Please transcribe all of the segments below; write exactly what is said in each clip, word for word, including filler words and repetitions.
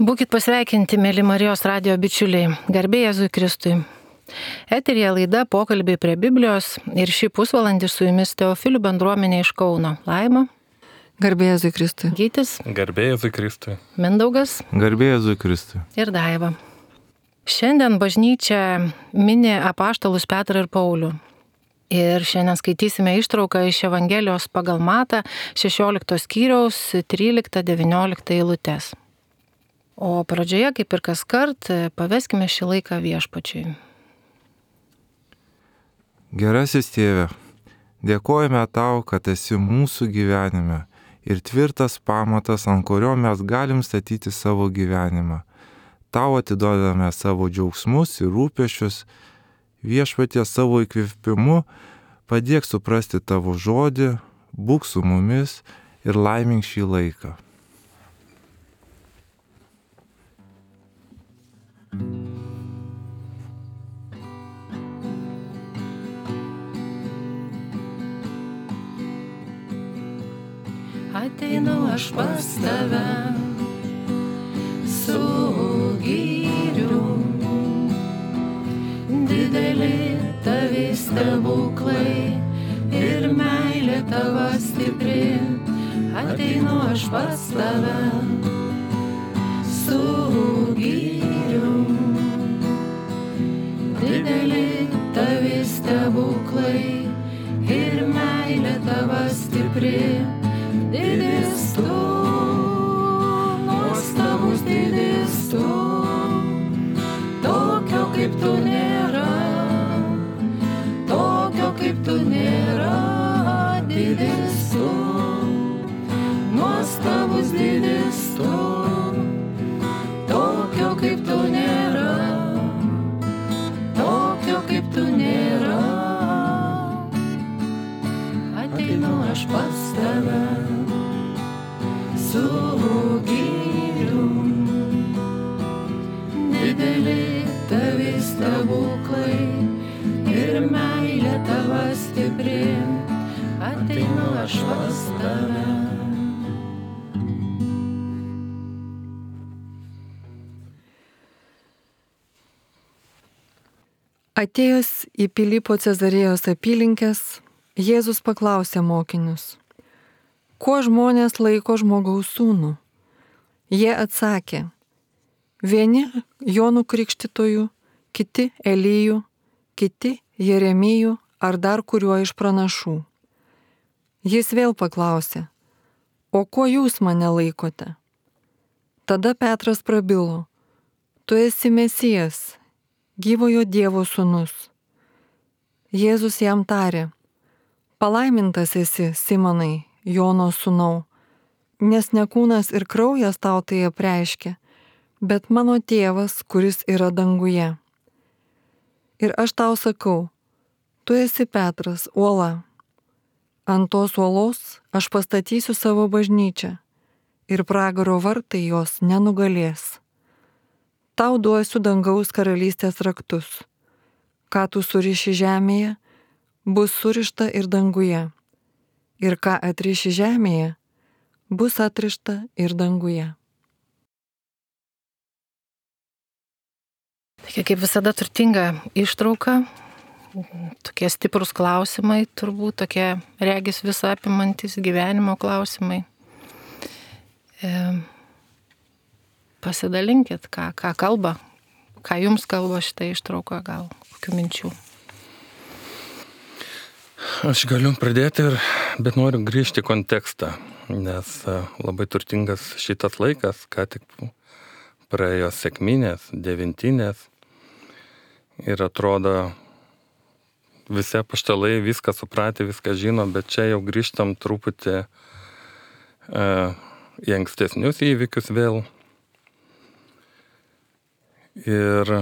Būkit pasveikinti, mėly Marijos radijo bičiuliai, garbė Jėzui Kristui. Eterija laida Pokalbiai prie Biblijos ir šį pusvalandį su jumis Teofilių bendruomenė iš Kauno. Laima. Garbė Jėzui Kristui. Gytis. Garbė Jėzui Kristui. Mindaugas. Garbė Jėzui Kristui. Ir Daiva. Šiandien bažnyčia mini apaštalus Petrą ir Paulių. Ir šiandien skaitysime ištrauką iš Evangelijos pagal Matą šešioliktos skyriaus tryliktą devynioliktą eilutes. O pradžioje, kaip ir kaskart, paveskime šį laiką Viešpačiui. Gerasis Tėve, dėkojame Tau, kad esi mūsų gyvenime ir tvirtas pamatas, ant kurio mes galim statyti savo gyvenimą. Tau atiduodame savo džiaugsmus ir rūpesčius, Viešpatie savo įkvėpimu padėk suprasti Tavo žodį, būk su mumis ir laimink šį laiką. Ateinu aš pas Tave su gyrium, dideli Tavi stebuklai ir meilė Tava stipri. Ateinu aš pas Tave su gyrium, dideli Tavi stebuklai ir meilė Tava stipri. Didis Tu, nuostabus didis Tu, tokio kaip Tu nėra, tokio kaip Tu nėra. Didis Tu, nuostabus didis Tu, tokio kaip Tu nėra, tokio kaip Tu nėra. Ateinu aš pas Tave su gyrium, dideli Tavi stebuklai ir meilė Tava stipri. Ateinu aš pas Tave. Atėjęs į Pilypo Cezarėjos apylinkes, Jėzus paklausė mokinius: kuo žmonės laiko žmogaus sūnų? Jie atsakė: vieni Jonu Krikštytoju, kiti Elyju, kiti Jeremiju ar dar kuriuo iš pranašų. Jis vėl paklausė: o kuo jūs mane laikote? Tada Petras prabilo: tu esi Mesijas, gyvojo Dievo sūnus. Jėzus jam tarė: palaimintas esi, Simonai, Jono sūnau, nes ne kūnas ir kraujas tau tai apreiškė, bet mano Tėvas, kuris yra danguje. Ir aš tau sakau, tu esi Petras, uola. Ant tos uolos aš pastatysiu savo bažnyčią ir pragaro vartai jos nenugalės. Tau duosiu dangaus karalystės raktus. Ką tu suriši žemėje, bus surišta ir danguje. Ir ką atriši žemėje, bus atrišta ir danguje. Tokia kaip visada turtinga ištrauka, tokie stiprus klausimai, turbūt tokie regis visą apimantis gyvenimo klausimai. E, pasidalinkit, ką, ką kalba, ką jums kalba šitą ištrauką, gal kokių minčių. Aš galiu pradėti, ir, bet noriu grįžti į kontekstą, nes labai turtingas šitas laikas, ką tik praėjo sekminės, devintinės, ir atrodo visi apaštalai viską supratė, viską žino, bet čia jau grįžtam truputį e, į ankstesnius įvykius vėl. Ir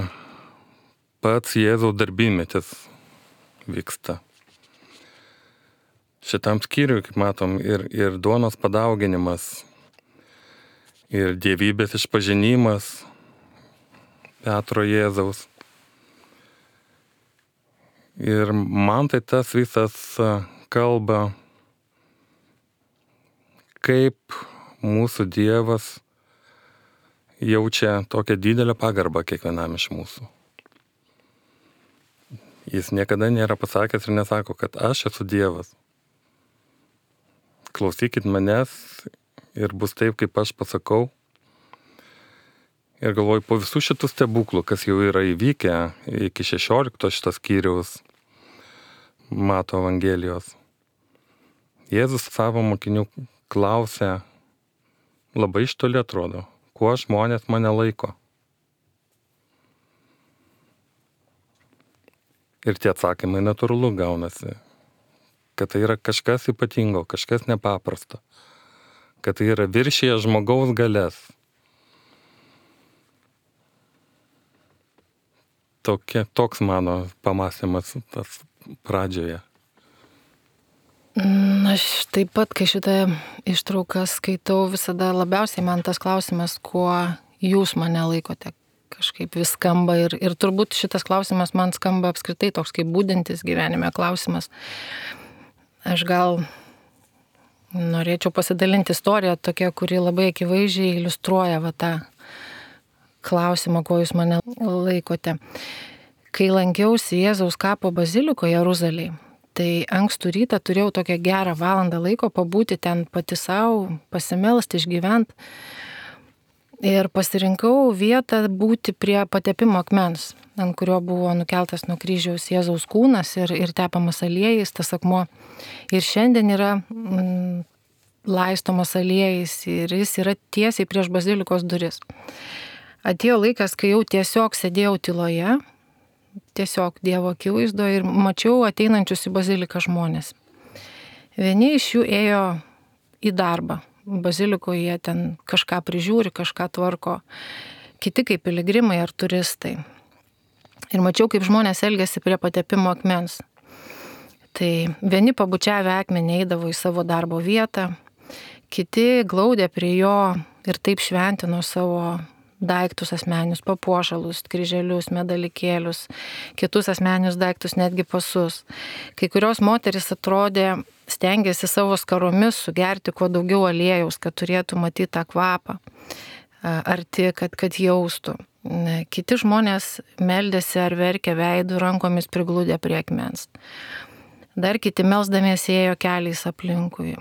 pats Jėzaus darbymetis vyksta. Šitam skyriui, kaip matom, ir, ir duonos padauginimas, ir dievybės išpažinimas Petro Jėzaus. Ir man tai tas visas kalba, kaip mūsų Dievas jaučia tokią didelę pagarbą kiekvienam iš mūsų. Jis niekada nėra pasakęs ir nesako, kad aš esu Dievas. Klausykit manęs ir bus taip, kaip aš pasakau. Ir galvoju, po visų šitų stebuklų, kas jau yra įvykę iki šešiolikto šitas skyriaus Mato Evangelijos, Jėzus savo mokinių klausė, labai iš toli atrodo, kuo žmonės mane laiko. Ir tie atsakymai natūralu gaunasi, kad tai yra kažkas ypatingo, kažkas nepaprasto, kad tai yra viršyje žmogaus galės. Tokia, toks mano pamąstymas tas pradžioje. Aš taip pat, kai šitą ištrauką skaitau, visada labiausiai man tas klausimas, kuo jūs mane laikote, kažkaip vis skamba ir, ir turbūt šitas klausimas man skamba apskritai toks kaip būdintis gyvenime klausimas. Aš gal norėčiau pasidalinti istoriją tokia, kuri labai akivaizdžiai iliustruoja va tą klausimą, kuo jūs mane laikote. Kai lankiausi Jėzaus kapo bazilikoje Jeruzalėje, tai ankstų rytą turėjau tokią gerą valandą laiko pabūti ten pati savo, pasimelsti, išgyventi. Ir pasirinkau vietą būti prie patepimo akmens, ant kurio buvo nukeltas nuo kryžiaus Jėzaus kūnas ir, ir tepamas aliejais, tas akmuo. Ir šiandien yra mm, laistomas aliejais ir jis yra tiesiai prieš bazilikos duris. Atėjo laikas, kai jau tiesiog sėdėjau tyloje, tiesiog Dievo akivaizdoje ir mačiau ateinančius į baziliką žmonės. Vieni iš jų ėjo į darbą. Bazilikoje jie ten kažką prižiūri, kažką tvarko, kiti kaip piligrimai ar turistai. Ir mačiau, kaip žmonės elgėsi prie patepimo akmens. Tai vieni pabučiavę akmenį eidavo į savo darbo vietą, kiti glaudė prie jo ir taip šventino savo daiktus asmeninius, papuošalus, kryželius, medalikėlius, kitus asmeninius daiktus, netgi pasus. Kai kurios moteris atrodė, stengiasi savo skaromis sugerti kuo daugiau aliejaus, kad turėtų matyti tą kvapą arti, kad, kad jaustų. Kiti žmonės meldėsi ar verkė veidų, rankomis priglūdė prie akmens. Dar kiti melsdamiesi ėjo keliais aplinkui.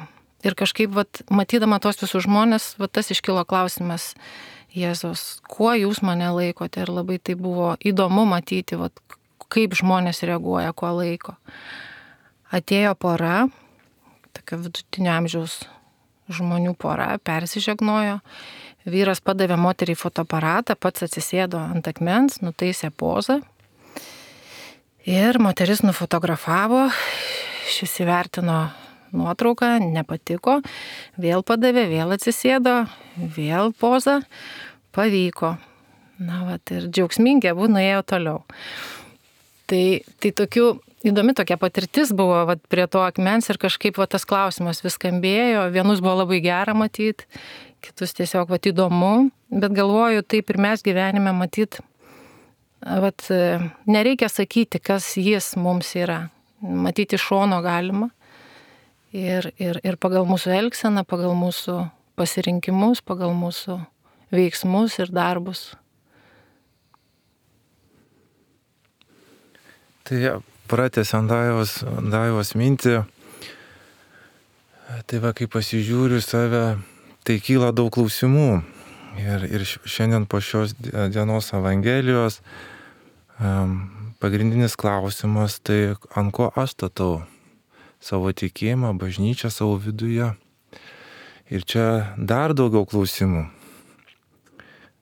Ir kažkaip, vat, matydama tos visus žmonės, vat, tas iškilo klausimas Jėzus, kuo jūs mane laikote? Ir labai tai buvo įdomu matyti, vat, kaip žmonės reaguoja, kuo laiko. Atėjo pora, tokia vidutinio amžiaus žmonių pora, persižegnojo. Vyras padavė moteriai fotoaparatą, pats atsisėdo ant akmens, nutaisė pozą. Ir moteris nufotografavo, šis įvertino nuotrauką, nepatiko, vėl padavė, vėl atsisėdo, vėl poza, pavyko. Na, vat, ir džiaugsmingi abu nuėjo toliau. Tai, tai tokių įdomi tokia patirtis buvo vat, prie to akmens ir kažkaip vat, tas klausimas vis skambėjo, vienus buvo labai gera matyti, kitus tiesiog vat, įdomu, bet galvoju, taip ir mes gyvenime matyti, vat, nereikia sakyti, kas jis mums yra, matyti iš šono galima. Ir, ir, ir pagal mūsų elgseną, pagal mūsų pasirinkimus, pagal mūsų veiksmus ir darbus. Tai pratęsiant Daivos, Daivos mintį, tai va, kai pasižiūriu save, tai kyla daug klausimų. Ir, ir šiandien po šios dienos Evangelijos um, pagrindinis klausimas, tai ant ko aš statau savo tikėjimą, bažnyčią savo viduje. Ir čia dar daugiau klausimų.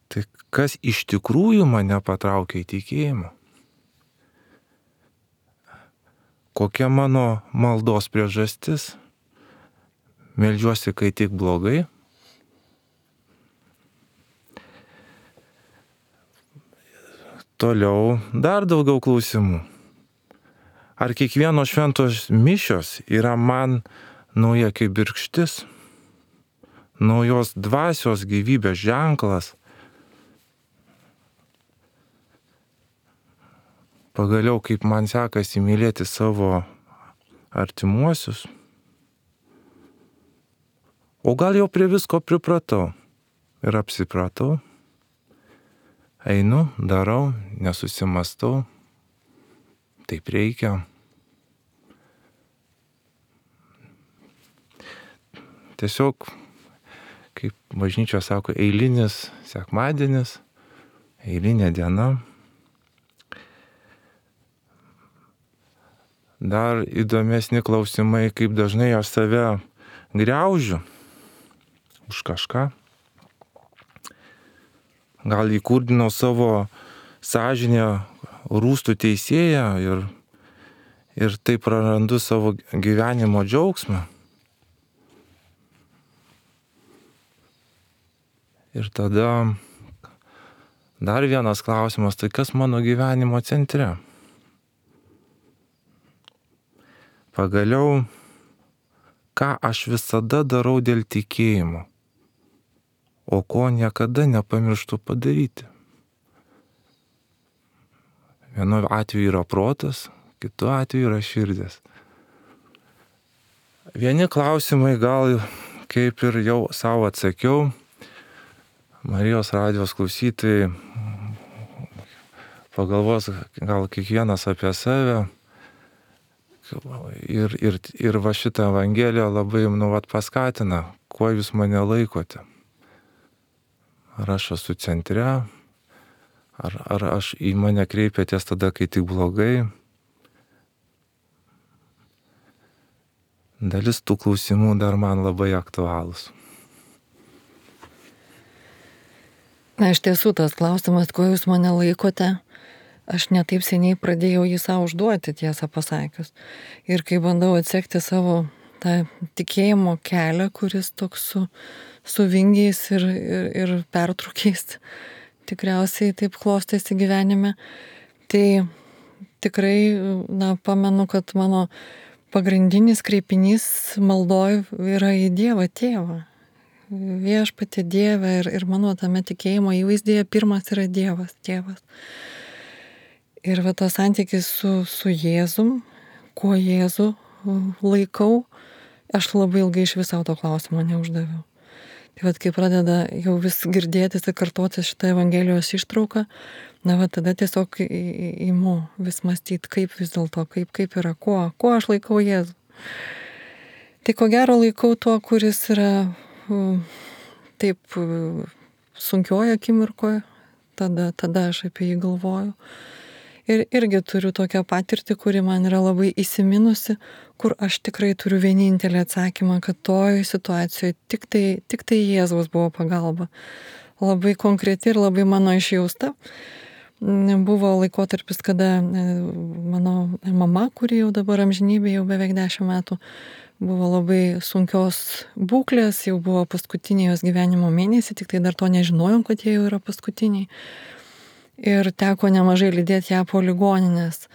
Tai kas iš tikrųjų mane patraukia į tikėjimą? Kokia mano maldos priežastis? Meldžiuosi, kai tik blogai? Toliau dar daugiau klausimų. Ar kiekvieno šventos mišios yra man nauja kaip birkštis, naujos dvasios gyvybės ženklas? Pagaliau, kaip man sekasi mylėti savo artimuosius? O gal jau prie visko pripratau ir apsipratau? einu, darau, nesusimastau, taip reikia. Tiesiog, kaip bažnyčia sako, eilinis sekmadienis, eilinė diena. Dar įdomesni klausimai, kaip dažnai aš save griaužiu už kažką. Gal įkurdinau savo sąžinę rūstų teisėją ir, ir taip prarandu savo gyvenimo džiaugsmą. Ir tada dar vienas klausimas, tai kas mano gyvenimo centre? Pagaliau, ką aš visada darau dėl tikėjimo, o ko niekada nepamirštu padaryti. Vienu atveju yra protas, kitu atveju yra širdis. Vieni klausimai gal, kaip ir jau savo atsakiau, Marijos radijos klausytojai pagalvos gal kiekvienas apie save. Ir, ir, ir va šitą Evangeliją labai nu, vat, paskatina, kuo jūs mane laikote. Ar aš esu centre, ar, ar aš į mane kreipiatės tada, kai tik blogai. Dalis tų klausimų dar man labai aktualūs. Na, iš tiesų tas klausimas, kuo jūs mane laikote, aš netaip seniai pradėjau jį savo užduoti, tiesą pasakius. Ir kai bandau atsekti savo tą tikėjimo kelią, kuris toks su, su vingiais ir, ir, ir pertrūkiais tikriausiai taip klostėsi gyvenime, tai tikrai, na, pamenu, kad mano pagrindinis kreipinys maldoj yra į Dievą Tėvą. Viešpatie Dieve ir, ir mano tame tikėjimo įvaizdyje pirmas yra Dievas, Tėvas. Ir va tas santykis su, su Jėzum, kuo Jėzų laikau, aš labai ilgai iš viso to klausimo neuždaviau. Tai va, kai pradeda jau vis girdėtis ir kartotis šitą Evangelijos ištrauką, na va tada tiesiog įimu vis mąstyti, kaip vis dėlto, kaip, kaip yra, kuo, kuo aš laikau Jėzų. Tai ko gero laikau tuo, kuris yra taip sunkioje akimirkoje, tada, tada aš apie jį galvoju. Ir irgi turiu tokią patirtį, kuri man yra labai įsiminusi, kur aš tikrai turiu vienintelį atsakymą, kad toj situacijoje tik tai, tik tai Jėzaus buvo pagalba. Labai konkreti ir labai mano išjausta. Buvo laikotarpis, kada mano mama, kuri jau dabar amžinybė, jau beveik dešimt metų, buvo labai sunkios būklės, jau buvo paskutiniai jos gyvenimo mėnesiai, tik tai dar to nežinojom, kad jie jau yra paskutiniai. Ir teko nemažai lydėti ją po ligoninės.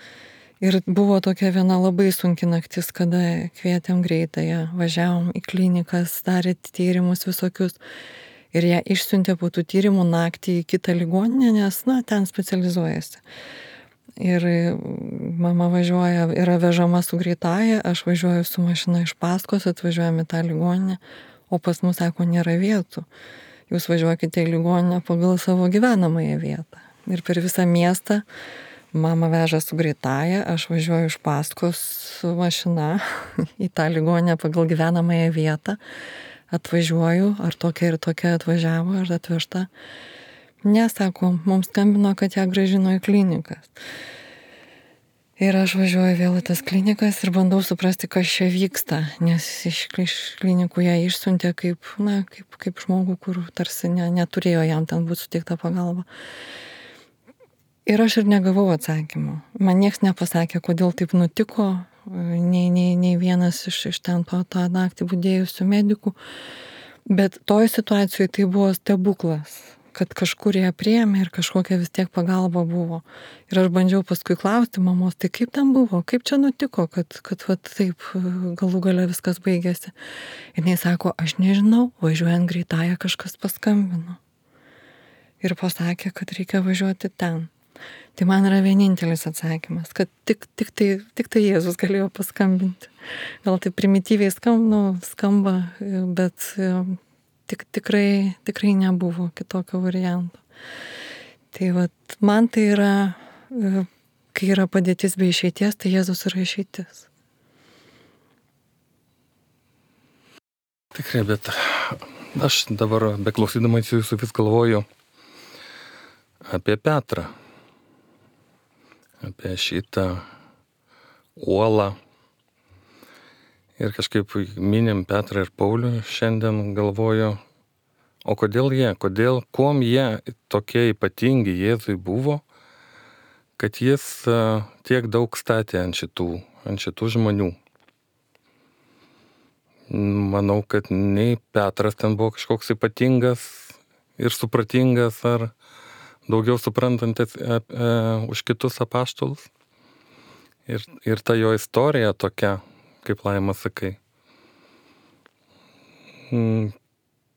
Ir buvo tokia viena labai sunki naktis, kada kvietėm greitąją, važiavom į klinikas, darė tyrimus visokius. Ir ją išsiuntė po tų tyrimų naktį į kitą ligoninę, nes, na, ten specializuojasi. Ir mama važiuoja, yra vežama su greitąja, aš važiuoju su mašina iš paskos, atvažiuojame į tą ligoninę, o pas mus, sako, nėra vietų. Jūs važiuokite į ligoninę pagal savo gyvenamąją vietą. Ir per visą miestą mama veža su greitąja, aš važiuoju iš paskos su mašina į tą ligoninę pagal gyvenamąją vietą, atvažiuoju, ar tokia ir tokia atvažiavo, ar atvežta. Nesako, mums skambino, kad ją grąžino į klinikas. Ir aš važiuoju vėl į tas klinikas ir bandau suprasti, kas čia vyksta, nes iš, iš klinikų ją išsiuntė kaip, na, kaip, kaip žmogų, kur tarsi ne, neturėjo jam ten būti suteikta pagalba. Ir aš ir negavau atsakymų. Man nieks nepasakė, kodėl taip nutiko, nei, nei, nei vienas iš, iš ten to tą naktį budėjusių medikų. Bet toj situacijoje tai buvo stebuklas, kad kažkur ją priėmė ir kažkokia vis tiek pagalba buvo. Ir aš bandžiau paskui klausti mamos, tai kaip ten buvo, kaip čia nutiko, kad, kad va, taip galų gale viskas baigėsi. Ir jis sako, aš nežinau, važiuojant greitąją kažkas paskambino. Ir pasakė, kad reikia važiuoti ten. Tai man yra vienintelis atsakymas, kad tik, tik, tai, tik tai Jėzus galėjo paskambinti. Gal tai primityviai skamba, nu, skamba bet tik, tikrai, tikrai nebuvo kitokio varianto. Tai vat, man tai yra, kai yra padėtis be išeities, tai Jėzus yra išeitis. Tikrai, bet aš dabar beklausydamas jūsų vis galvoju apie Petrą, apie šitą uolą. Ir kažkaip minim Petrą ir Paulių, šiandien galvoju, o kodėl jie, kodėl, kuom jie tokie ypatingi Jėzui buvo, kad jis tiek daug statė ant šitų, ant šitų žmonių. Manau, kad nei Petras ten buvo kažkoks ypatingas ir supratingas ar daugiau suprantantis e, e, už kitus apaštalus. Ir, ir ta jo istorija tokia, kaip Laima sakai, mm,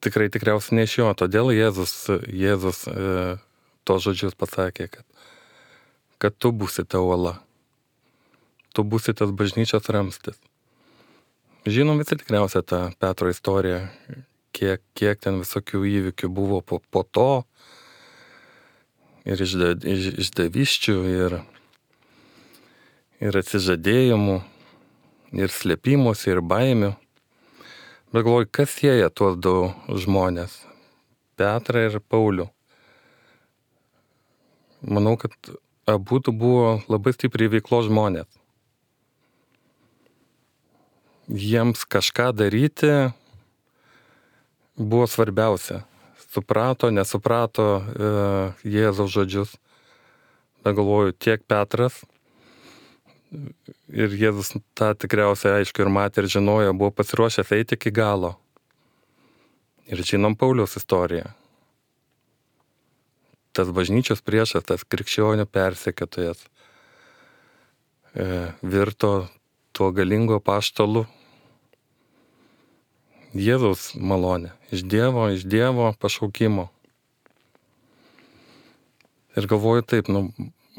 tikrai tikriausiai ne iš jo. Todėl Jėzus, Jėzus e, to žodžius pasakė, kad, kad tu būsi ta uola, tu būsi tas bažnyčios ramstis. Žinom visi tikriausiai tą Petro istoriją, kiek, kiek ten visokių įvykių buvo po, po to, ir išda, iš, išdaviščių, ir, ir atsižadėjimų, ir slėpimusi, ir baimių. Bet galvoju, kas sieja tuos du žmonės, Petrą ir Paulių? Manau, kad abu buvo labai stipriai veiklos žmonės. Jiems kažką daryti buvo svarbiausia. Suprato, nesuprato e, Jėzaus žodžius. Bet galvoju, tiek Petras ir Jėzus tą tikriausiai aišku ir matė ir žinojo, buvo pasiruošęs eiti iki galo. Ir žinom Pauliaus istoriją. Tas bažnyčios priešas, tas krikščionių persekiotojas e, virto tuo galingo apaštalu. Jėzaus malonė, iš Dievo, iš Dievo pašaukimo. Ir galvoju taip, nu,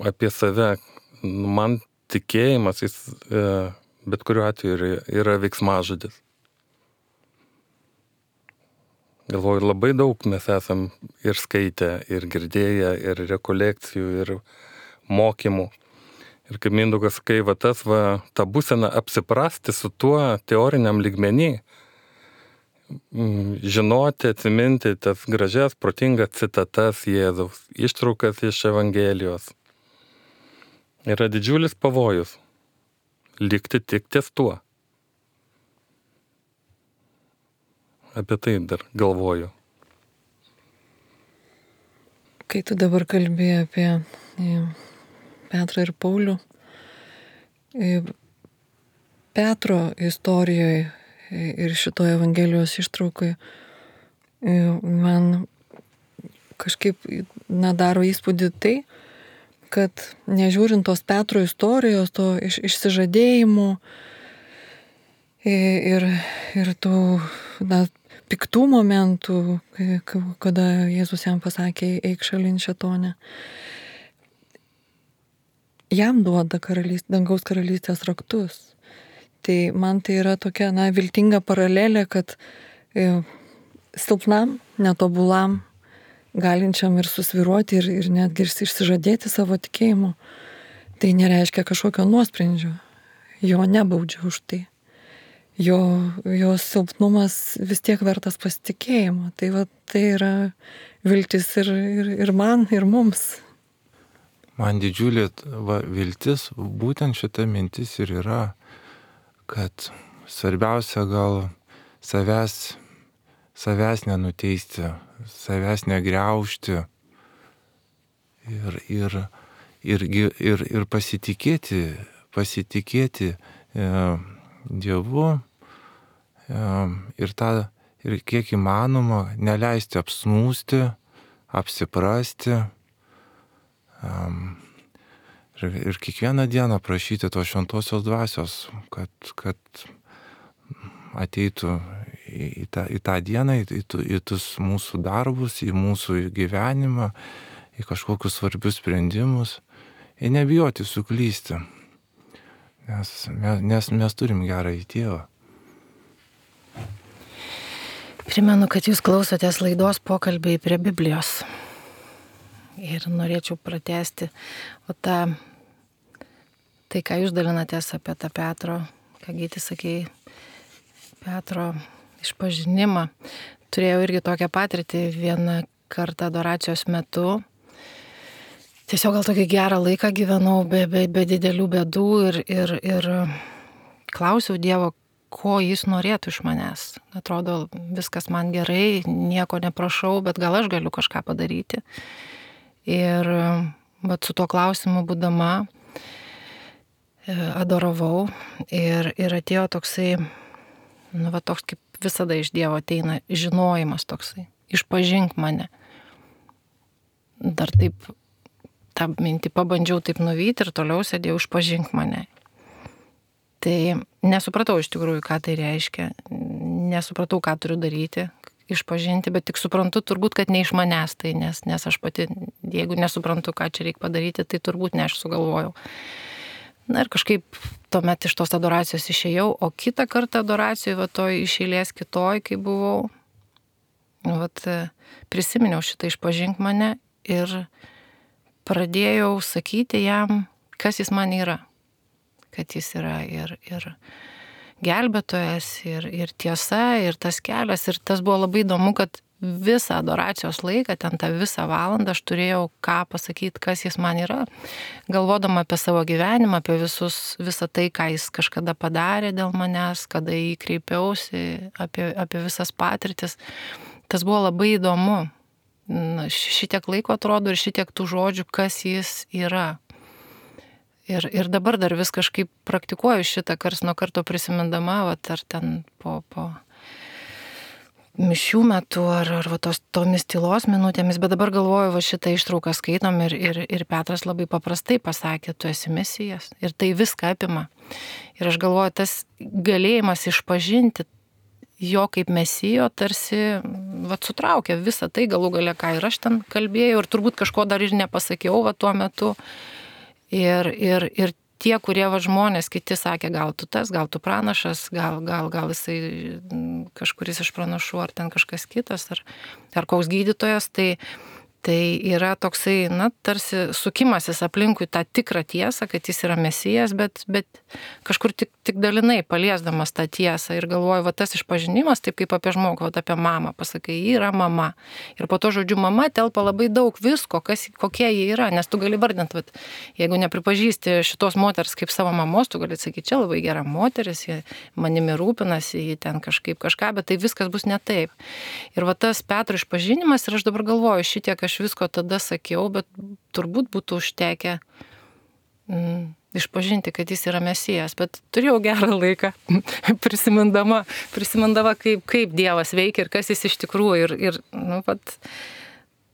apie save, nu, man tikėjimas, jis e, bet kuriuo atveju yra, yra veiksmažodis. Galvoju, labai daug mes esam ir skaitę, ir girdėję, ir rekolekcijų, ir mokymų. Ir kaip Mindaugas sakai, va tas, va, ta būsena apsiprasti su tuo teoriniam lygmenį, žinoti, atsiminti tas gražias, protingas citatas Jėzaus, ištraukas iš Evangelijos. Yra didžiulis pavojus likti tik ties tuo. Apie tai dar galvoju. Kai tu dabar kalbėjai apie Petrą ir Paulių, Petro istorijoje ir šitoje Evangelijos ištraukoje man kažkaip nedaro įspūdį tai, kad nežiūrint tos Petro istorijos, to iš, išsižadėjimų ir, ir tų na, piktų momentų, kada Jėzus jam pasakė, eik šalin šėtone, jam duoda karalystės, dangaus karalystės raktus. Tai man tai yra tokia, na, viltinga paralelė, kad e, silpnam, netobulam, galinčiam ir susviruoti ir, ir netgi išsižadėti savo tikėjimu, tai nereiškia kažkokio nuosprendžio. Jo nebaudžia už tai. Jo, jo silpnumas vis tiek vertas pasitikėjimo. Tai va, tai yra viltis ir, ir, ir man, ir mums. Man didžiulė va, viltis, būtent šita mintis ir yra, kad svarbiausia gal savęs, savęs nenuteisti, savęs negriaužti ir, ir, ir, ir, ir pasitikėti, pasitikėti e, Dievu e, ir, tą, ir kiek įmanoma neleisti apsnūsti, apsiprasti. E, Ir, ir kiekvieną dieną prašyti tos šventosios dvasios, kad, kad ateitų į, į, tą, į tą dieną, į, į tus mūsų darbus, į mūsų gyvenimą, į kažkokius svarbius sprendimus ir nebijoti suklysti, nes, nes mes turim gerą į Tėvą. Primenu, kad jūs klausotės laidos Pokalbiai prie Biblijos. ir norėčiau pratesti o tą, tai ką jūs dalinatės apie tą Petro, ką Gyti sakei, Petro išpažinimą. Turėjau irgi tokią patirtį vieną kartą adoracijos metu. Tiesiog gal tokį gerą laiką gyvenau be, be, be didelių bėdų ir, ir, ir klausiau Dievo, ko jis norėtų iš manęs. Atrodo, viskas man gerai, nieko neprašau, bet gal aš galiu kažką padaryti. Ir vat su tuo klausimu būdama adoravau ir, ir atėjo toksai, nu va toks kaip visada iš Dievo ateina žinojimas toksai, išpažink mane. Dar taip, tą mintį pabandžiau taip nuvyti ir toliau sėdėjau, išpažink mane. Tai nesupratau iš tikrųjų, ką tai reiškia, nesupratau, ką turiu daryti, išpažinti, bet tik suprantu turbūt, kad ne iš manęs tai, nes, nes aš pati, jeigu nesuprantu, ką čia reikia padaryti, tai turbūt ne aš sugalvojau. Na ir kažkaip tuomet iš tos adoracijos išėjau, o kitą kartą adoracijoje, va toj iš eilės kitoj, kai buvau, vat, prisiminiau šitą išpažink mane ir pradėjau sakyti jam, kas jis man yra. Kad jis yra ir, ir gelbėtojas, ir, ir tiesa, ir tas kelias. Ir tas buvo labai įdomu, kad visą adoracijos laiką, ten tą visą valandą aš turėjau ką pasakyti, kas jis man yra, galvodama apie savo gyvenimą, apie visus, visą tai, ką jis kažkada padarė dėl manęs, kada jį kreipiausi, apie, apie visas patirtis. Tas buvo labai įdomu. Na, šitiek laiko atrodo ir šitiek tų žodžių, kas jis yra. Ir, ir dabar dar vis kažkaip praktikuoju šitą kars nuo karto prisimindama, vat, ar ten po, po mišių metu, ar, ar va, tos, tomis tylos minutėmis, bet dabar galvoju, va šitą ištrauką skaitom ir, ir, ir Petras labai paprastai pasakė, tu esi Mesijas ir tai viską apima. Ir aš galvoju, tas galėjimas išpažinti jo kaip Mesijo tarsi va, sutraukė visą tai galų gale, ką ir aš ten kalbėjau ir turbūt kažko dar ir nepasakiau va, tuo metu. Ir, ir, ir tie, kurie va, žmonės, kiti sakė, gal tu tas, gal tu pranašas, gal, gal, gal jisai kažkuris iš pranašų, ar ten kažkas kitas, ar, ar koks gydytojas, tai, tai yra toksai, na, tarsi sukimasis aplinkui tą tikrą tiesą, kad jis yra Mesijas, bet, bet kažkur tik, tik dalinai paliesdamas tą tiesą ir galvoju, va tas išpažinimas, taip kaip apie žmogų, va apie mamą, pasakai, ji yra mama. Ir po to žodžiu mama telpa labai daug visko, kas, kokie jie yra, nes tu gali vardinti, va, jeigu nepripažįsti šitos moters kaip savo mamos, tu gali sakyti, čia labai gera moteris, jie manimi rūpinasi, jie ten kažkaip kažką, bet tai viskas bus ne taip. Ir va tas Petro išpažinimas ir aš dabar galvoju, šitiek aš visko tada sakiau, bet turbūt būtų užtekę mm, išpažinti, kad jis yra Mesijas, bet turėjau gerą laiką prisimindama, prisimindama kaip, kaip Dievas veikia ir kas jis iš tikrųjų ir, ir nu, vat,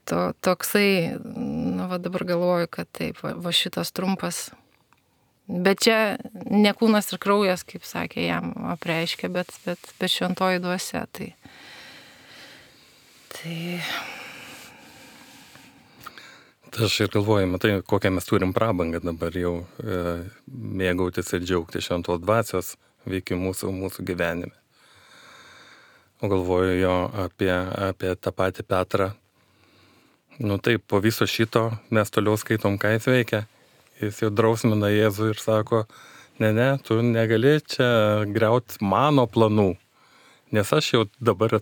to, toksai, nu, vat, dabar galvoju, kad taip, va, va šitas trumpas, bet čia ne kūnas ir kraujas, kaip sakė, jam apreiškia, bet, bet, bet šventoji dvasia, tai tai Tai aš ir galvoju, matai, kokią mes turim prabangą dabar jau e, mėgautis ir džiaugti šventos dvasios veikimu mūsų, mūsų gyvenime. O galvoju jo apie, apie tą patį Petrą. Nu taip, po viso šito mes toliau skaitom, ką jis veikia. Jis jau drausmina Jėzų ir sako, ne, ne, tu negali čia griauti mano planų, nes aš jau dabar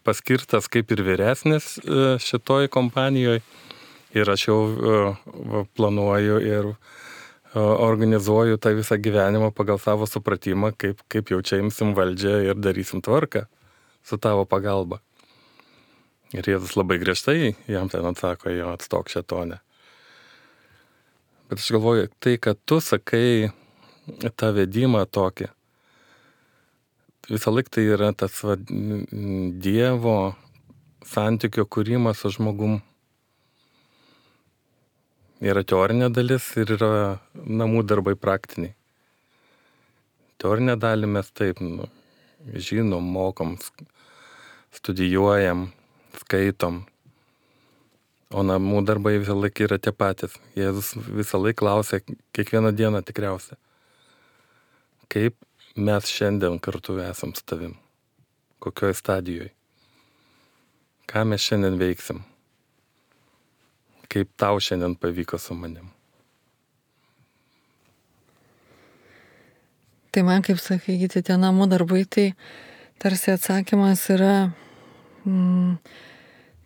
paskirtas kaip ir vyresnis šitoj kompanijoje. Ir aš jau uh, planuoju ir uh, organizuoju tą visą gyvenimą pagal savo supratimą, kaip, kaip jau čia imsim valdžią ir darysim tvarką su tavo pagalba. Ir Jėzus labai griežtai jam ten atsako, jo atstok šėtone. Bet aš galvoju, tai, kad tu sakai tą vedimą tokį, visą laiką tai yra tas va, Dievo santykio kūrimas su žmogum. Yra teorinė dalis ir yra namų darbai praktiniai. Teorinę dalį mes taip, nu, žinom, mokom, studijuojam, skaitom. O namų darbai visą laiką yra tie patys. Jėzus visą laiką klausia, kiekvieną dieną tikriausiai, kaip mes šiandien kartu esam su tavim, kokioj stadijoje, ką mes šiandien veiksim. kaip tau šiandien pavyko su manim. Tai man, kaip sakyti, tie namų darbai, tai tarsi atsakymas yra mm,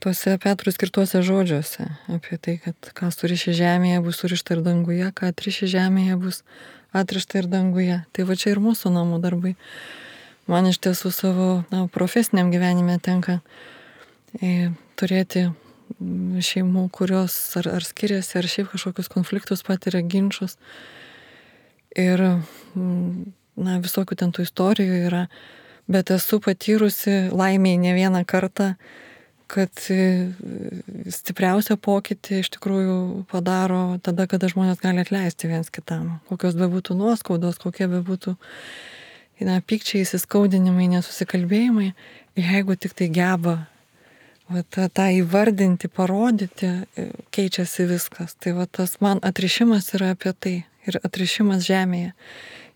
tuose Petrui skirtuose žodžiuose apie tai, kad ką suriši žemėje bus surišta ir danguje, ką atriši žemėje bus atrišta ir danguje. Tai va čia ir mūsų namų darbai. Man iš tiesų savo na, profesiniam gyvenime tenka e, turėti šeimų, kurios ar, ar skiriasi, ar šiaip kažkokius konfliktus patiria, ginčius. Ir na, visokių ten tų istorijų yra, bet esu patyrusi laimiai ne vieną kartą, kad stipriausią pokytį iš tikrųjų padaro tada, kada žmonės gali atleisti viens kitam. Kokios bebūtų nuoskaudos, kokie bebūtų na, pykčiai, įsiskaudinimai, nesusikalbėjimai, jeigu tik tai geba va, tą, tą įvardinti, parodyti, keičiasi viskas. Tai va, tas man atrišimas yra apie tai. Ir atrišimas žemėje.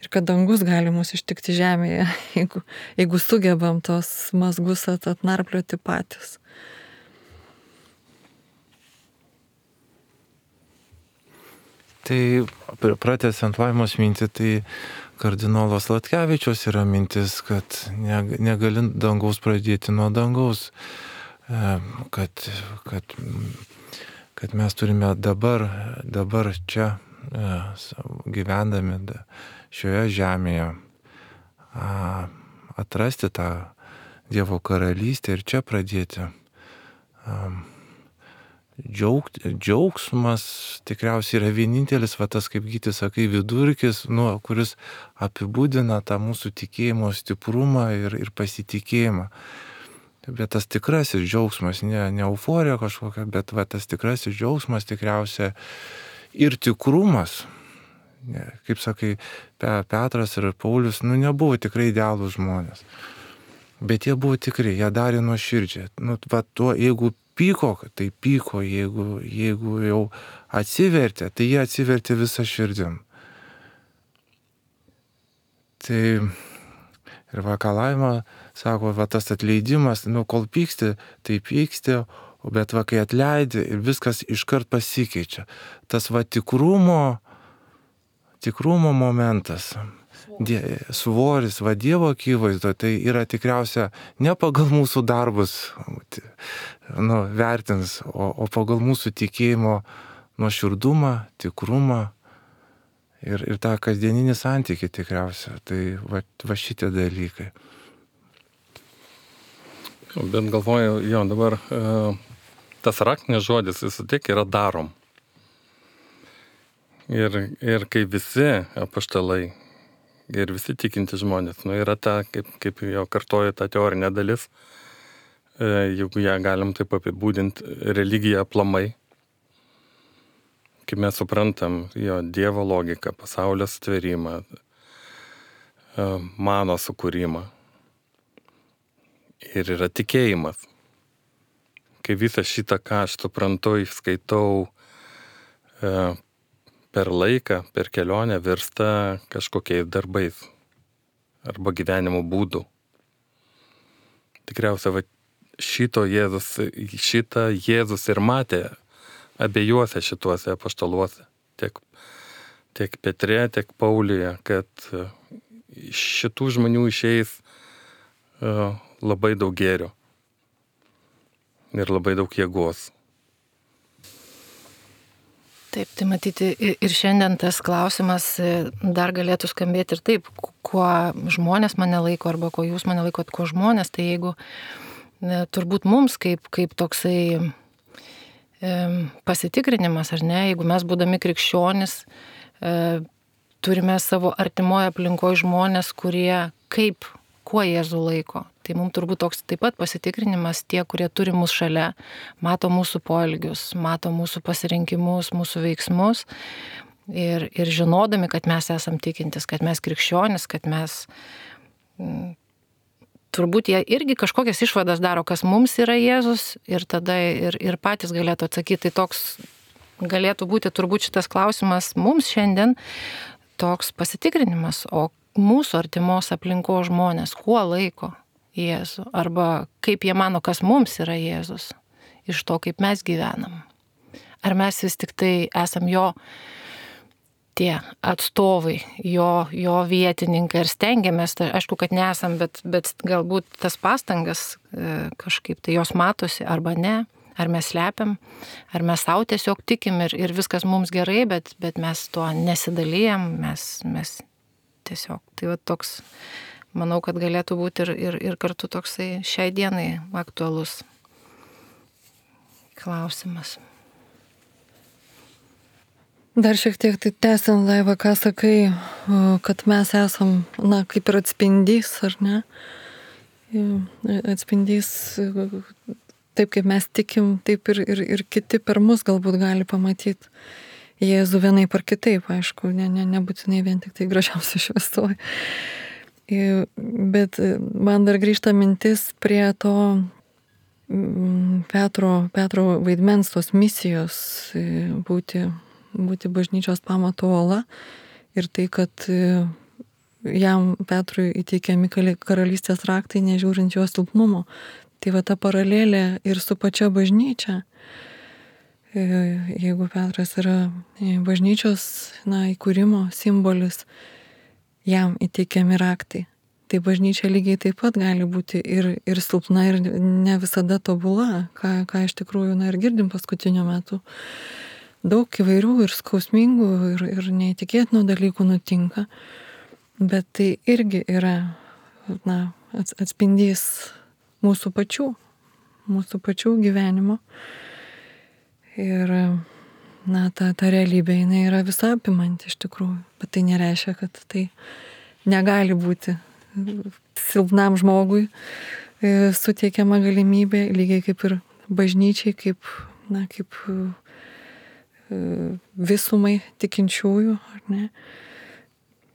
Ir kad dangus gali mus ištikti žemėje, jeigu, jeigu sugebam tos mazgus at, atnarplioti patys. Tai pratęsiant Laimos mintį, tai kardinolas Latkevičius yra mintis, kad negali dangaus pradėti nuo dangaus, kad, kad, kad mes turime dabar, dabar čia gyvendami šioje žemėje atrasti tą Dievo karalystę ir čia pradėti. Džiaug, džiaugsmas tikriausiai yra vienintelis, va tas, kaip Gytis sakai, vidurkis, nu, kuris apibūdina tą mūsų tikėjimo stiprumą ir, ir pasitikėjimą. Bet tas tikrasis džiaugsmas, ne, ne euforija kažkokia, bet va tas tikrasis džiaugsmas tikriausiai ir tikrumas, ne, kaip sakai, Petras ir Paulius, nu, nebuvo tikrai idealūs žmonės. Bet jie buvo tikri, jie darė nuoširdžiai. Nu, va, tuo, jeigu pyko, tai pyko, jeigu, jeigu jau atsivertė, tai jie atsivertė visą širdim. Tai ir va, ką Laima sako, va, tas atleidimas, nu, kol pyksti, tai pyksti, bet va, kai atleidi, viskas iškart pasikeičia. Tas va tikrumo, tikrumo momentas, die, svoris, va Dievo akivaizdo, tai yra tikriausia ne pagal mūsų darbus nu, vertins, o, o pagal mūsų tikėjimo nuoširdumą, tikrumą ir, ir tą kasdieninį santykį tikriausia. Tai va, va šitie dalykai. Bet galvoju, jo, dabar uh... tas raktinis žodis vis tiek yra darom. Ir, ir kai visi apaštalai ir visi tikinti žmonės, nu yra ta, kaip, kaip jo kartoju, ta teorinė dalis, jeigu ją galim taip apibūdinti, religija aplamai, kaip mes suprantam jo Dievo logiką, pasaulio sutvėrimą, mano sukūrimą. Ir yra tikėjimas. Kai visą šitą, ką aš suprantu, skaitau e, per laiką, per kelionę, virsta kažkokiais darbais arba gyvenimo būdu. Tikriausiai va, šito Jėzus, šitą Jėzus ir matė abiejuose šituose apaštaluose, tiek, tiek Petre, tiek Pauliuje, kad iš šitų žmonių išeis e, labai daug gėrio. Ir labai daug jėgos. Taip, tai matyti ir šiandien tas klausimas dar galėtų skambėti ir taip, kuo žmonės mane laiko arba kuo jūs mane laikot, kuo žmonės, tai jeigu ne, turbūt mums kaip, kaip toksai e, pasitikrinimas, ar ne, jeigu mes būdami krikščionis e, turime savo artimoje aplinkoje žmonės, kurie kaip, kuo Jėzų laiko. Tai mums turbūt toks taip pat pasitikrinimas, tie, kurie turi mus šalia, mato mūsų poelgius, mato mūsų pasirinkimus, mūsų veiksmus ir, ir žinodami, kad mes esam tikintis, kad mes krikščionis, kad mes m, turbūt jie irgi kažkokias išvadas daro, kas mums yra Jėzus ir tada ir, ir patys galėtų atsakyti. Tai toks galėtų būti turbūt šitas klausimas mums šiandien toks pasitikrinimas, o mūsų artimos aplinkos žmonės, kuo laiko Jėzų, arba kaip jie mano, kas mums yra Jėzus, iš to, kaip mes gyvenam. Ar mes vis tik tai esam jo tie atstovai, jo, jo vietininkai ir stengiamės, tai aišku, kad nesam, bet, bet galbūt tas pastangas e, kažkaip tai jos matosi arba ne, ar mes slepiam, ar mes savo tiesiog tikim ir, ir viskas mums gerai, bet, bet mes tuo nesidalijam, mes, mes tiesiog, tai va toks, manau, kad galėtų būti ir, ir, ir kartu toksai šiai dienai aktualus klausimas. Dar šiek tiek tai tęsiant, Daiva, ką sakai, kad mes esam, na, kaip ir atspindys, ar ne? Atspindys, taip kaip mes tikim, taip ir, ir, ir kiti per mus galbūt gali pamatyti Jėzų vienaip ar kitaip, aišku, ne, ne, nebūtinai vien tik tai gražiausia šviesoj. Bet man dar grįžta mintis prie to Petro, Petro vaidmens, tos misijos būti būti bažnyčios pamato uola ir tai, kad jam Petrui įteikiami karalystės raktai, nežiūrint jo silpnumo. Tai va ta paralelė ir su pačia bažnyčia. Jeigu Petras yra bažnyčios, na, įkūrimo simbolis, jam įteikiami raktai. Tai bažnyčia lygiai taip pat gali būti ir, ir silpna, ir ne visada tobula, ką, ką iš tikrųjų, na, ir girdim paskutiniu metu. Daug įvairių ir skausmingų ir, ir neįtikėtinų dalykų nutinka, bet tai irgi yra, na, atspindys mūsų pačių, mūsų pačių gyvenimo. Ir, na, ta, ta realybė, jinai yra visą apimanti iš tikrųjų, bet tai nereiškia, kad tai negali būti silpnam žmogui suteikiama galimybė, lygiai kaip ir bažnyčiai, kaip, na, kaip visumai tikinčiųjų, ar ne,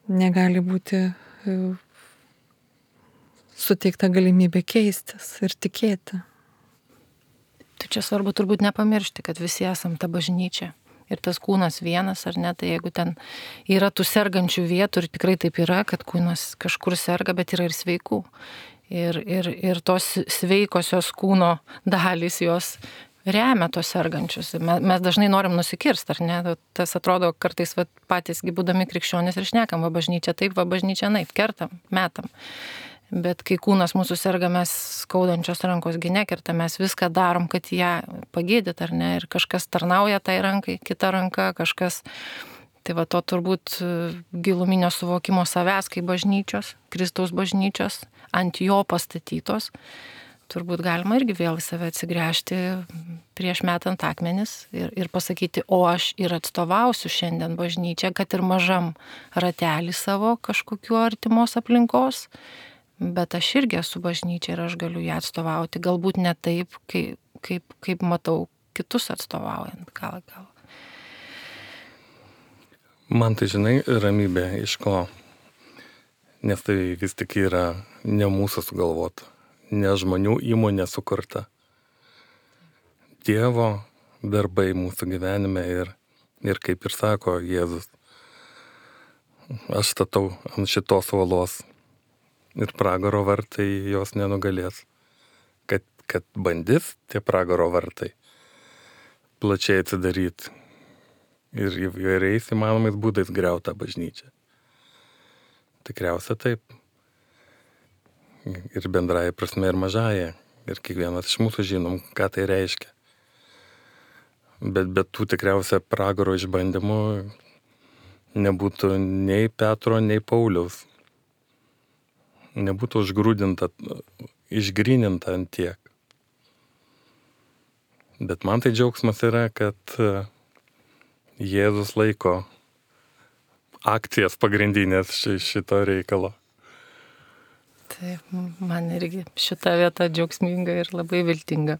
negali būti suteikta galimybė keistis ir tikėti. Tai čia svarbu turbūt nepamiršti, kad visi esam ta bažnyčia. Ir tas kūnas vienas, ar ne, tai jeigu ten yra tų sergančių vietų, ir tikrai taip yra, kad kūnas kažkur serga, bet yra ir sveikų. Ir, ir, ir tos sveikosios kūno dalys jos remia tos sergančius. Mes dažnai norim nusikirsti, ar ne? Tas atrodo kartais va, patysgi būdami krikščionys ir šnekam, va bažnyčia taip, va bažnyčia naip, kertam, metam. Bet kai kūnas mūsų serga, mes skaudančios rankos gi nekertam, mes viską darom, kad ją pagydyt, ar ne? Ir kažkas tarnauja tai rankai, kita ranka, kažkas. Tai va to turbūt giluminio suvokimo savęs kaip bažnyčios, Kristaus bažnyčios, ant jo pastatytos. Turbūt galima irgi vėl į save atsigręžti prieš metant akmenis ir, ir pasakyti, o aš ir atstovausiu šiandien bažnyčią, kad ir mažam ratelį savo kažkokiu artimos aplinkos, bet aš irgi esu bažnyčia ir aš galiu ją atstovauti. Galbūt ne taip, kaip, kaip, kaip matau kitus atstovaujant. Gal, gal. Man tai, žinai, ramybė iš ko, nes tai vis tik yra ne mūsų sugalvota. Ne žmonių įmonė sukurta. Dievo darbai mūsų gyvenime ir, ir kaip ir sako Jėzus, aš statau ant šitos uolos ir pragaro vartai jos nenugalės. Kad, kad bandys tie pragaro vartai plačiai atsidaryti ir įvairiais įmanomais būdais griauta bažnyčia. Tikriausia taip. Ir bendrąja prasme ir mažąja. Ir kiekvienas iš mūsų žinom, ką tai reiškia. Bet be tų tikriausia pragaro išbandymų nebūtų nei Petro, nei Pauliaus. Nebūtų užgrūdinta, išgryninta ant tiek. Bet man tai džiaugsmas yra, kad Jėzus laiko akcijas pagrindinės šito reikalo. Taip, man irgi šita vieta džiaugsminga ir labai viltinga.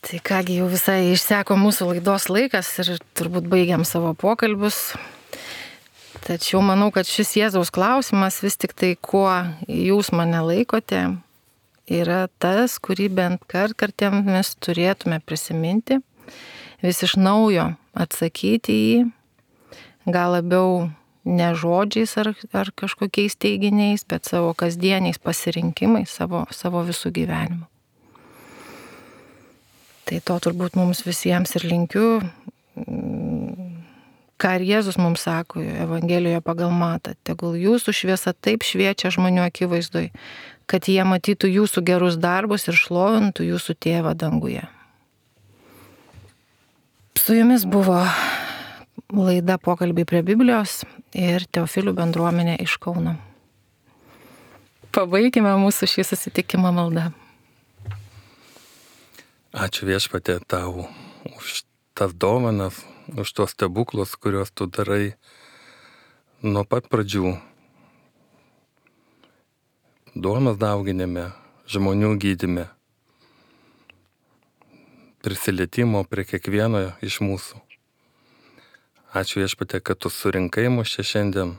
Tai kągi, jau visai išseko mūsų laidos laikas ir turbūt baigiam savo pokalbius. Tačiau manau, kad šis Jėzaus klausimas vis tik tai, kuo jūs mane laikote, yra tas, kurį bent kartkartėm mes turėtume prisiminti, vis iš naujo atsakyti į jį, gal labiau ne žodžiais ar, ar kažkokiais teiginiais, bet savo kasdieniais pasirinkimais, savo, savo visų gyvenimu. Tai to turbūt mums visiems ir linkiu, ką ir Jėzus mums sako Evangelijoje pagal Matą. Tegul jūsų šviesa taip šviečia žmonių akivaizdoj, kad jie matytų jūsų gerus darbus ir šlovintų jūsų tėvą danguje. Su jumis buvo laida Pokalbiai prie Biblijos ir Teofilių bendruomenė iš Kauno. Pabaikime mūsų šį susitikimą maldą. Ačiū Viešpatie tau už tas dovanas, už tos stebuklus, kuriuos tu darai nuo pat pradžių. Duonos dauginime, žmonių gydyme, prisilietimo prie kiekvieno iš mūsų. Ačiū Viešpatie, kad tu surinkai mus čia šiandien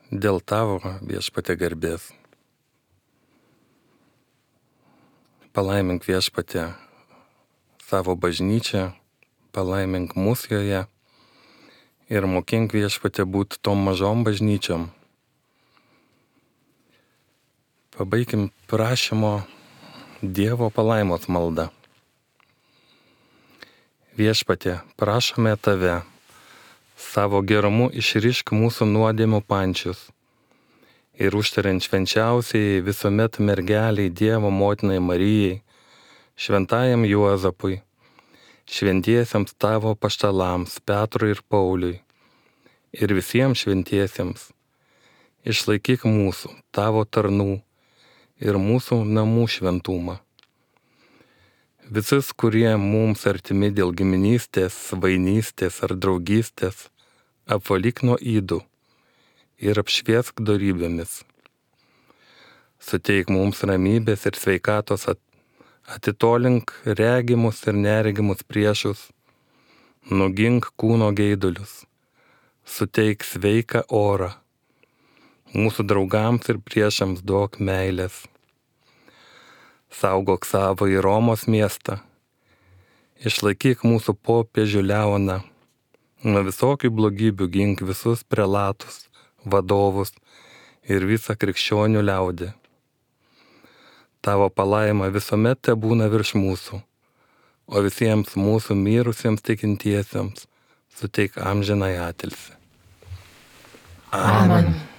dėl tavo Viešpatie garbės. Palaimink Viešpatie savo bažnyčią, palaimink mus joje ir mokink Viešpatie būti tom mažom bažnyčiom. Pabaikim prašymo Dievo palaimos maldą. Viešpatie, prašome tave, savo gerumu išrišk mūsų nuodėmių pančius ir užtariant švenčiausiai visuomet mergeliai Dievo motinai Marijai, šventajam Juozapui, šventiesiems tavo paštalams Petrui ir Pauliui ir visiems šventiesiems, išlaikyk mūsų, tavo tarnų ir mūsų namų šventumą. Visus, kurie mums artimi dėl giminystės, vainystės ar draugystės, apvalyk nuo ydų ir apšviesk dorybėmis. Suteik mums ramybės ir sveikatos, atitolink regimus ir neregimus priešus, nugink kūno geidulius, suteik sveiką orą, mūsų draugams ir priešams duok meilės. Saugok savo į Romos miestą, išlaikyk mūsų popiežių Leoną, nuo visokių blogybių gink visus prelatus, vadovus ir visą krikščionių liaudį. Tavo palaima visuomet te būna virš mūsų, o visiems mūsų mirusiems tikintiesiems suteik amžinąją atilsį. Amen. Amen.